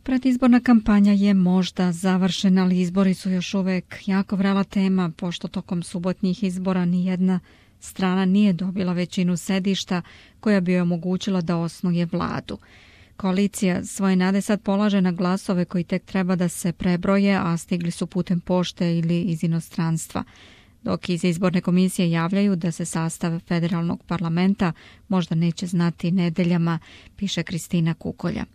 Predizborna kampanja je možda završena, ali izbori su još uvek jako vrela tema, pošto tokom subotnjih izbora nijedna strana nije dobila većinu sedišta koja bi joj omogućila da osnuje vladu. Koalicija svoje nade sad polaže na glasove koji tek treba da se prebroje, a stigli su putem pošte ili iz inostranstva. Dok iz izborne komisije javljaju da se sastav federalnog parlamenta možda neće znati nedeljama, piše Kristina Kukolja.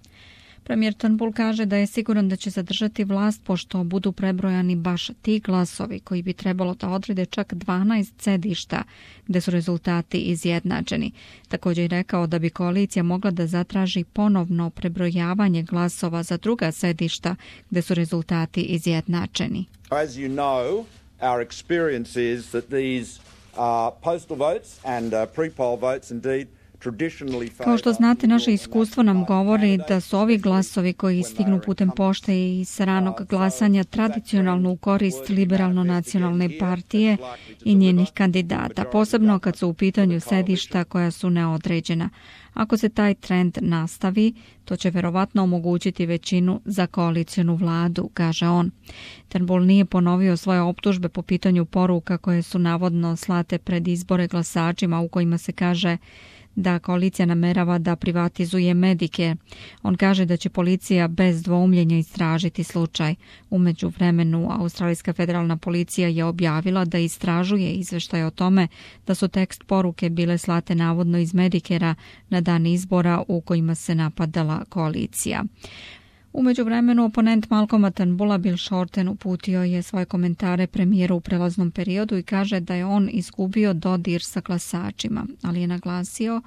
Premijer Turnbull kaže da je siguran da će zadržati vlast pošto budu prebrojani baš ti glasovi koji bi trebalo da odrede čak 12 sedišta gde su rezultati izjednačeni. Također je rekao da bi koalicija mogla da zatraži ponovno prebrojavanje glasova za druga sedišta gde su rezultati izjednačeni. As you know, our experience is that these postal votes and pre-poll votes indeed. Kao što znate, naše iskustvo nam govori da su ovi glasovi koji stignu putem pošte i sa ranog glasanja tradicionalno u korist liberalno-nacionalne partije i njenih kandidata, posebno kad su u pitanju sedišta koja su neodređena. Ako se taj trend nastavi, to će verovatno omogućiti većinu za koalicionu vladu, kaže on. Turnbull nije ponovio svoje optužbe po pitanju poruka koje su navodno slate pred izbore glasačima u kojima se kaže da koalicija namerava da privatizuje Medicare. On kaže da će policija bez dvoumljenja istražiti slučaj. U međuvremenu, australijska federalna policija je objavila da istražuje izveštaj o tome da su tekst poruke bile slate navodno iz Medicarea na dan izbora u kojima se napadala koalicija. U međuvremenu, oponent Malcolma Turnbulla Bill Shorten uputio je svoje komentare premijeru u prelaznom periodu i kaže da je on izgubio dodir sa glasačima, ali je naglasio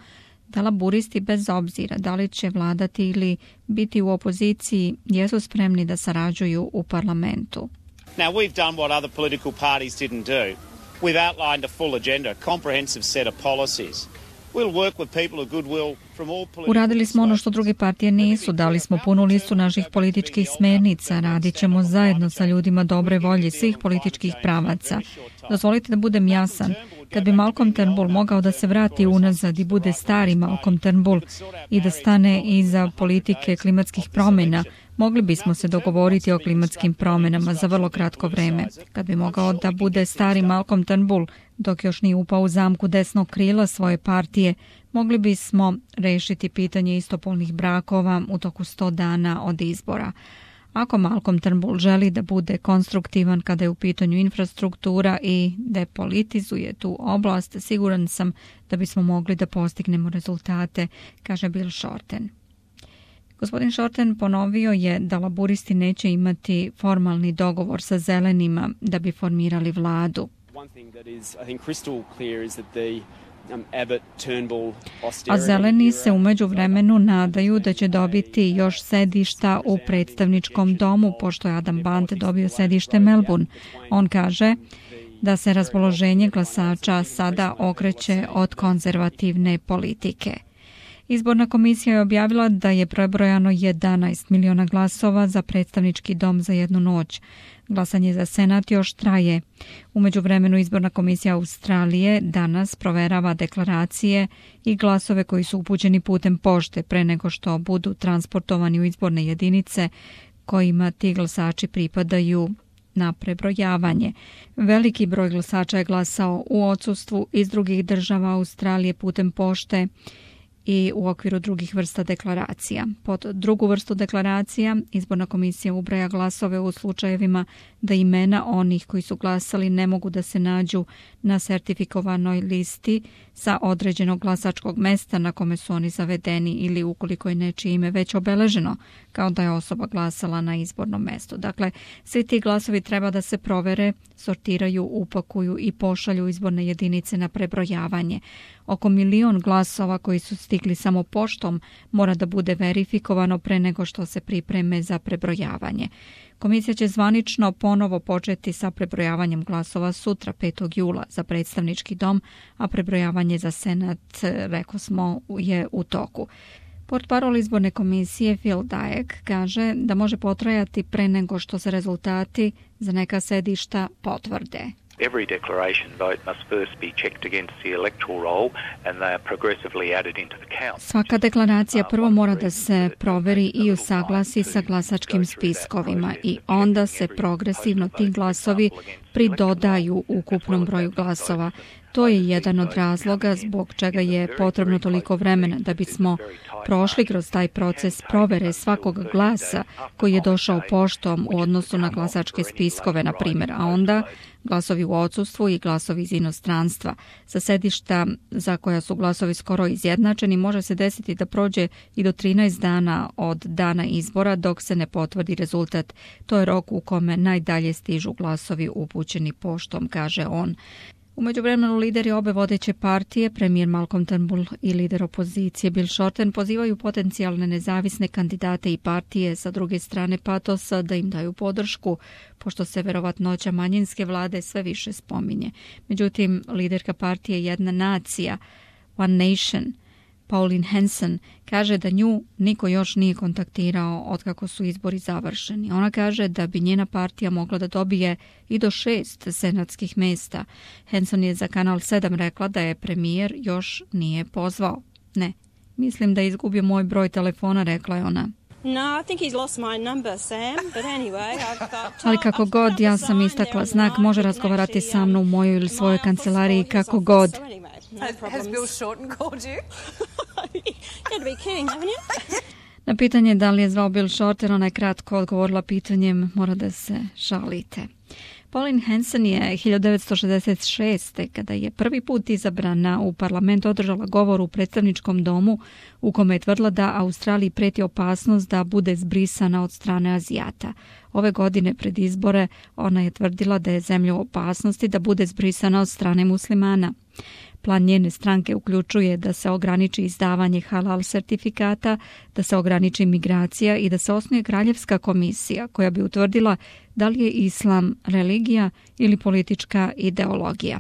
da laburisti bez obzira da li će vladati ili biti u opoziciji jesu spremni da sarađuju u parlamentu. Now we've done what other political parties didn't do. We've outlined a full agenda, a comprehensive set of policies. Uradili smo ono što druge partije nisu, dali smo punu listu naših političkih smernica, radit ćemo zajedno sa ljudima dobre volje svih političkih pravaca. Dozvolite da budem jasan, kad bi Malcolm Turnbull mogao da se vrati unazad i bude stari Malcolm Turnbull i da stane iza politike klimatskih promjena, mogli bismo se dogovoriti o klimatskim promjenama za vrlo kratko vreme. Kad bi mogao da bude stari Malcolm Turnbull, dok još nije upao u zamku desnog krila svoje partije, mogli bismo rešiti pitanje istopolnih brakova u toku 100 dana od izbora. Ako Malcolm Turnbull želi da bude konstruktivan kada je u pitanju infrastruktura i depolitizuje tu oblast, siguran sam da bismo mogli da postignemo rezultate, kaže Bill Shorten. Gospodin Shorten ponovio je da laburisti neće imati formalni dogovor sa zelenima da bi formirali vladu. A zeleni se u međuvremenu nadaju da će dobiti još sedišta u predstavničkom domu, pošto je Adam Band dobio sedište Melbourne. On kaže da se raspoloženje glasača sada okreće od konzervativne politike. Izborna komisija je objavila da je prebrojano 11 miliona glasova za predstavnički dom za jednu noć. Glasanje za senat još traje. U međuvremenu izborna komisija Australije danas proverava deklaracije i glasove koji su upućeni putem pošte pre nego što budu transportovani u izborne jedinice kojima ti glasači pripadaju na prebrojavanje. Veliki broj glasača je glasao u odsustvu iz drugih država Australije putem pošte i u okviru drugih vrsta deklaracija. Pod drugu vrstu deklaracija izborna komisija ubraja glasove u slučajevima da imena onih koji su glasali ne mogu da se nađu na sertifikovanoj listi sa određenog glasačkog mesta na kome su oni zavedeni ili ukoliko je nečije ime već obeleženo kao da je osoba glasala na izbornom mestu. Dakle, svi ti glasovi treba da se provere, sortiraju, upakuju i pošalju izborne jedinice na prebrojavanje. Oko 1 milion glasova koji su stigli samo poštom mora da bude verifikovano pre nego što se pripreme za prebrojavanje. Komisija će zvanično ponovo početi sa prebrojavanjem glasova sutra 5. jula za predstavnički dom, a prebrojavanje za senat, rekao smo, je u toku. Portparol izborne komisije Phil Dyack kaže da može potrajati pre nego što se rezultati za neka sedišta potvrde. Every declaration vote must first be checked against the electoral roll and they are progressively added into the count. Svaka deklaracija prvo mora da se proveri i usaglasi sa glasačkim spiskovima i onda se progresivno ti glasovi pridodaju ukupnom broju glasova. To je jedan od razloga zbog čega je potrebno toliko vremena da bismo prošli kroz taj proces provere svakog glasa koji je došao poštom u odnosu na glasačke spiskove, na primjer, a onda glasovi u odsustvu i glasovi iz inostranstva. Sa sedišta za koja su glasovi skoro izjednačeni može se desiti da prođe i do 13 dana od dana izbora dok se ne potvrdi rezultat. To je rok u kome najdalje stižu glasovi upućeni poštom, kaže on. U međuvremenu lideri obe vodeće partije, premijer Malcolm Turnbull i lider opozicije Bill Shorten, pozivaju potencijalne nezavisne kandidate i partije sa druge strane patosa da im daju podršku, pošto se verovatnoća manjinske vlade sve više spominje. Međutim, liderka partije Jedna nacija, One Nation, Pauline Hanson, kaže da nju niko još nije kontaktirao otkako su izbori završeni. Ona kaže da bi njena partija mogla da dobije i do 6 senatskih mesta. Hanson je za Kanal 7 rekla da je premijer još nije pozvao. Ne, mislim da je izgubio moj broj telefona, rekla je ona. No, I think he's lost my number, Sam. But anyway, I've got... Ali kako god, ja sam istakla znak, može razgovarati sa mnom u mojoj ili svojoj kancelariji, kako god. Has Bill Shorten called you? You had to be kidding, haven't you? Na pitanje da li je zvao Bill Shorten, ona je kratko odgovorila pitanjem, mora da se šalite. Pauline Hanson je 1966. kada je prvi put izabrana u parlament održala govor u predstavničkom domu u kome je tvrdila da Australiji preti opasnost da bude zbrisana od strane Azijata. Ove godine pred izbore ona je tvrdila da je zemlja u opasnosti da bude zbrisana od strane muslimana. Plan njene stranke uključuje da se ograniči izdavanje halal sertifikata, da se ograniči migracija i da se osnuje kraljevska komisija koja bi utvrdila da li je islam religija ili politička ideologija.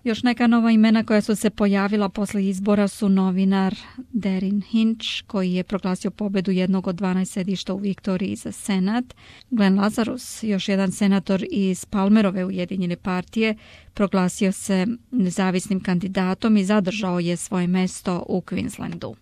Još neka nova imena koja su se pojavila posle izbora su novinar Darren Hinch, koji je proglasio pobedu jednog od 12 sedišta u Viktoriji za senat. Glenn Lazarus, još jedan senator iz Palmerove Ujedinjene partije, proglasio se nezavisnim kandidatom i zadržao je svoje mesto u Queenslandu.